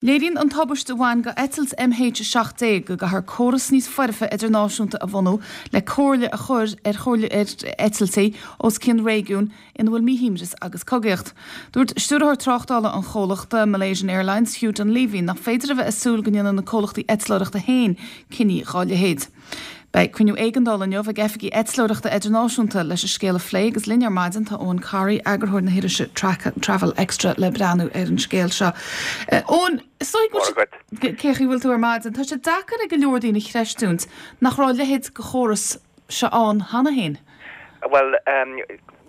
Léiríonn an tubaiste a bhain go eitilt MH17 go gcaithfear córas níos foirfe idirnáisiúnta a bhunú le comhairle a chur ar chomhairle ar eitiltí os cionn réigiún ina bhfuil míshuaimhneas agus cogaíocht. Dúirt Stiúrthóir Tráchtála an chomhlachta, Malaysian Airlines, Hugh Dunleavy, nach féidir a bheith ag súil go ndéanfaidh na comhlachtaí eitleoireachta féin cinní dhá leithéid. Beidh cruinniú éigeandála inniu ag oifigigh eitleoireachta idirnáisiúnta leis an scéal a phlé agus linn ar maidin tá Eoin Corry, eagarthóir na hirise Travel Extra le breathnú ar an scéal seo. Eoin, is dóigh go bhfuil sé, cén chaoi a bhfuil tú ar maidin? Tá sé deacair ag go leor daoine a chreistiúint nach raibh a leithéid de chóras seo ann cheana féin. Bhuel,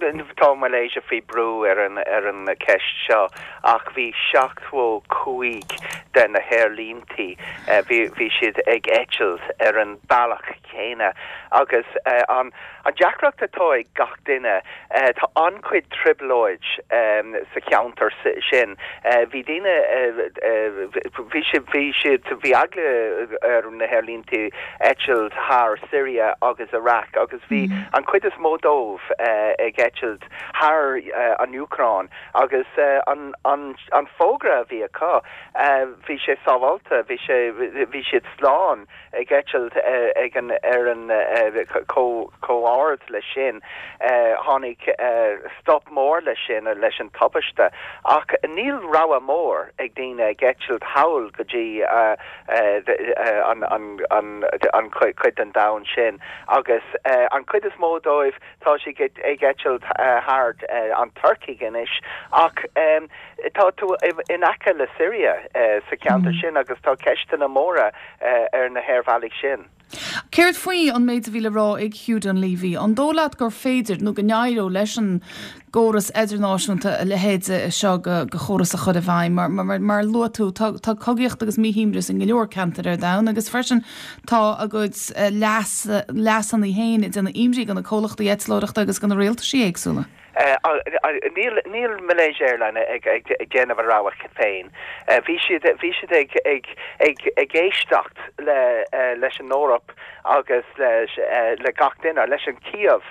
tá Malaysia faoi brú ar an ar an cheist seo ach bhí 75 de na haerlíntí, bhí bhí siad ag eitilt ar an bealach chéanna agus an an deacracht atá ag gach duine, tá an-chuid trioblóid sa cheantar sin. Bhí daoine, bhí siad, bhí siad, bhí eagla ar na haerlíntí eitilt thar Syria agus Iraq agus bhí an chuid is mó dóibh ag eitilt thar an Úcráin agus an an an fógra a bhí acu, bhí sé sábháilte, bhí sé, bhí siad slán ag eitilt ag an ar an chomh ard leis sin. Tháinig stop mór leis sin, leis an tubaiste ach níl rogha mór ag daoine ag eitilt thall go dtí an an chuid den domhan sin agus an chuid is mó dóibh tá siad ag eitilt thar an Tuircigh anois ach tá tú in aice le Syria sa cheantar sin agus tá ceisteanna móra ar na haerbhealaigh sin. Céard faoi an méid a bhí le rá ag Hugh Dunleavy? An dóigh leat gur féidir, nó go n-éireodh leis an gcóras idirnáisiúnta a leithéid seo de chóras a chur i bhfeidhm? Mar, mar a luaigh tú, tá cogaíocht agus míshuaimhneas in go leor ceantar ar domhan agus freisin tá a gcuid leas, leasanna féin ag déanamh imní do na comhlachtaí eitleoireachta agus do na rialtaisí éagsúla. Níl níl Malaysia Airline ag ag déanamh a rogha féin. Bhí siad bhí siad ag ag ag ag éisteacht le leis an Eoraip agus leis le gach duine, leis an Cív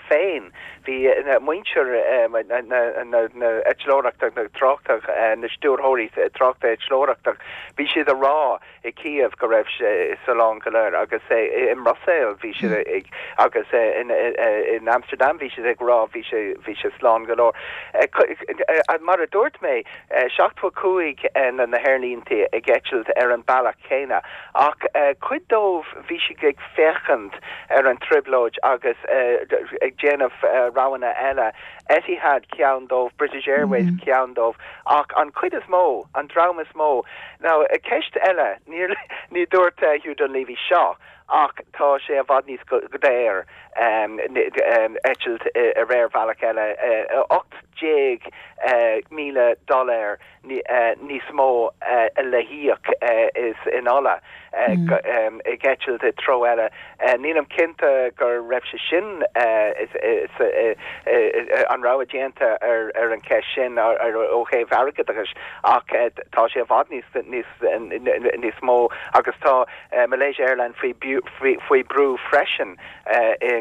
féin. Bhí muintir na na na eitleoireachta, na tráchta, na stiúrthóirí tráchta eitleoireachta, bhí siad a rá i Kiev go raibh sé slán go leor agus i mBruiséil bhí siad ag agus in Amsterdam bhí siad ag rá bhí sé bhí sé slán go leor. Mar a dúirt mé, 75 na na haerlínte ag eitilt ar an bealach céanna ach cuid dóibh bhí siad ag féachaint ar an trioblóid agus ag déanamh roghanna eile. Etihad ceann dóibh, British Airways ceann dóibh ach an chuid is mó, an dream is mó, Now, ceist eile, níor, ní dúirt Hugh Dunleavy seo ach tá sé i bhfad níos daor eitilt ar aerbhealach eile, 18,000 dollar níos mó le híoc is in ola ag eitilt i treo eile. Nílim cinnte go raibh sé sin an rogha déanta ar an cheist sin ó thaobh airgeadais ach tá sé i bhfad níos mó agus tá Malaysia Airlines faoi brú freisin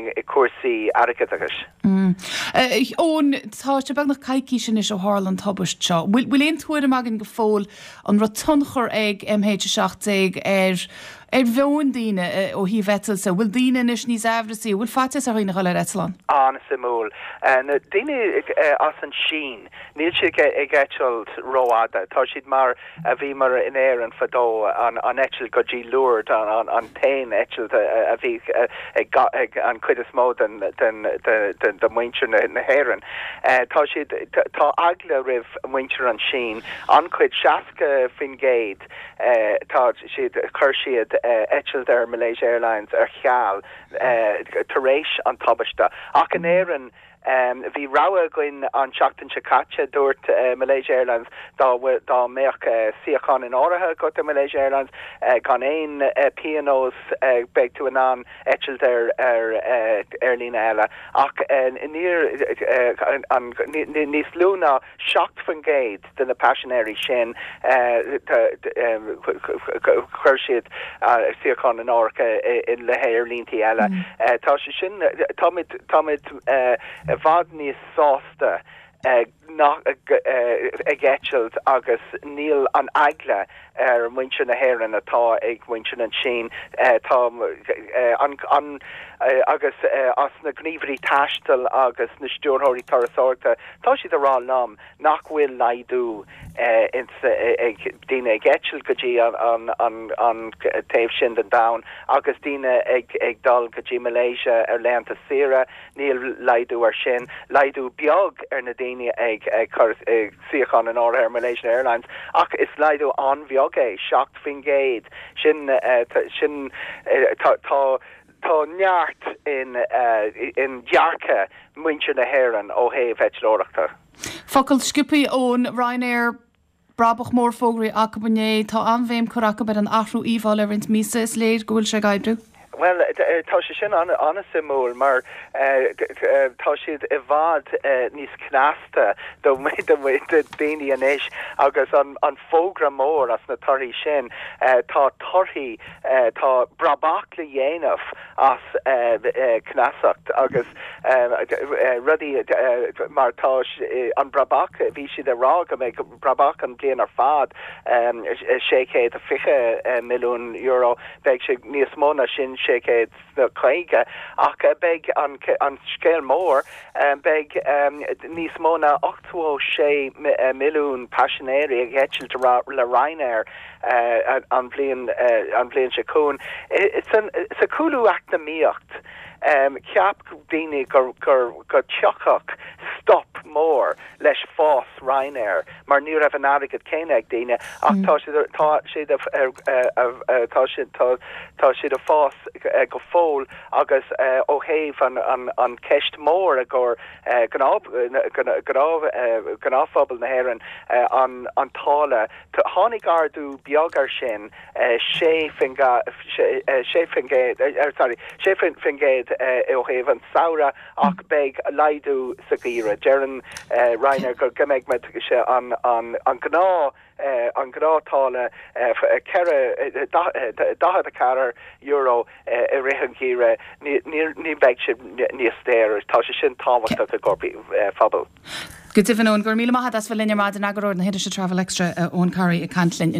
i cúrsaí airgeadais. Eoin, tá sé beagnach coicís anois ó tharla an tubaist seo. Bhfuil aon tuairim againn go fóill an raibh tionchar ag MH17 ar ar mheoin daoine ó thaobh eitilte? Bhfuil daoine anois níos aimhreasaí? Bhfuil faitíos ar dhaoine a dhul ar eitleán? An-suimiúil. Na daoine as an Sín, níl siad ag eitilt rófhada. Tá siad mar a bhíomar in Éirinn fadó, an eitilt go dtí Lourdes an t-aon eitilt a bhí ag an chuid is mó den de mhuintir na hÉireann. Tá siad, tá eagla roimh muintir an Sín, an-chuid, 60%, tá siad, chuir siad eitilt ar Malaysia Airlines ar ceal tar éis an tubaiste. Ach in Éirinn, Bhí rogha againn an tseachtain seo caite, dúirt Malaysia Airlines dá dá mbeadh suíochán in áirithe agat ar Malaysia Airlines gan aon pionós beidh tú in ann eitilt ar ar aerlíne eile ach níor níos lú ná 7% de na paisinéirí sin chuir siad suíochán in áirithe le haerlíntí eile. Tá sé sin, táimid, táimid i bhfad níos sásta nach ag eitilt agus níl an eagla. ar mhuintir na hÉireann atá ag muintir na Síne. Tá an, an, agus as na gníomhairí taistil agus na stiúrthóirí turasóireachta, tá siad ag rá liom nach bhfuil laghdú ag daoine ag eitilt go dtí an, an, an taobh sin den domhan agus daoine ag, ag dul go dtí Malaysia ar laethanta saoire, níl laghdú ar sin. Laghdú beag ar na daoine ag cur suíochán in áirithe ar Malaysian Airlines ach is laghdú an-bheag é, 7%. Sin, sin, tá, tá, tá neart in, in dearcadh muintir na hÉireann ó thaobh eitleoireachta. Focal sciobtha Eoin, Ryanair, brabach mór fógraithe acu inné. Tá an-bhéim curtha acu ar an athrú íomhá le roinnt míosa. Is léir go bhfuil sé ag oibriú. Bhuel, tá sé sin an-suimiúil mar tá siad i bhfad níos cneasta do daoine anois agus an fógra mór as na torthaí sin, tá torthaí, tá brabach le dhéanamh as cneasacht agus rudaí mar tá an brabach, bhí siad ag rá go mbeidh brabach an bhliain ar fad €620 milliún, beidh sé níos mó ná sin, 650, ach beidh an scéal mór, beidh níos mó ná 86 milliún paisinéirí ag eitilt le Ryanair an bhliain an bhliain seo chugainn. Sa chúlú eacnamaíocht, cheap daoine go dtiocfadh stop mór leis fás Ryanair mar ní raibh an airgead céanna ag daoine ach tá siad tá siad tá siad tá tá siad ag fás go fóill agus ó thaobh an an an ceist mór i gcomhair gnáth gnáth gnáthphobal na hÉireann an an táille tháinig ardú beag ar sin 6 6% sorry 6% ó thaobh an samhradh ach beidh laghdú sa gheimhreadh. Deireann Ryanair go mbeidh sé an an gnáth an gnáth táille €44 i rith an gheimhridh. Ní bheidh sé níos daoire. Tá sé sin tábhachtach i gcomhair phobal. Go deimhin, Eoin, go raibh míle maith agat as bheith linn ar maidin, eagarthóir na hirise Travel Extra, Eoin Corry ag caint linn.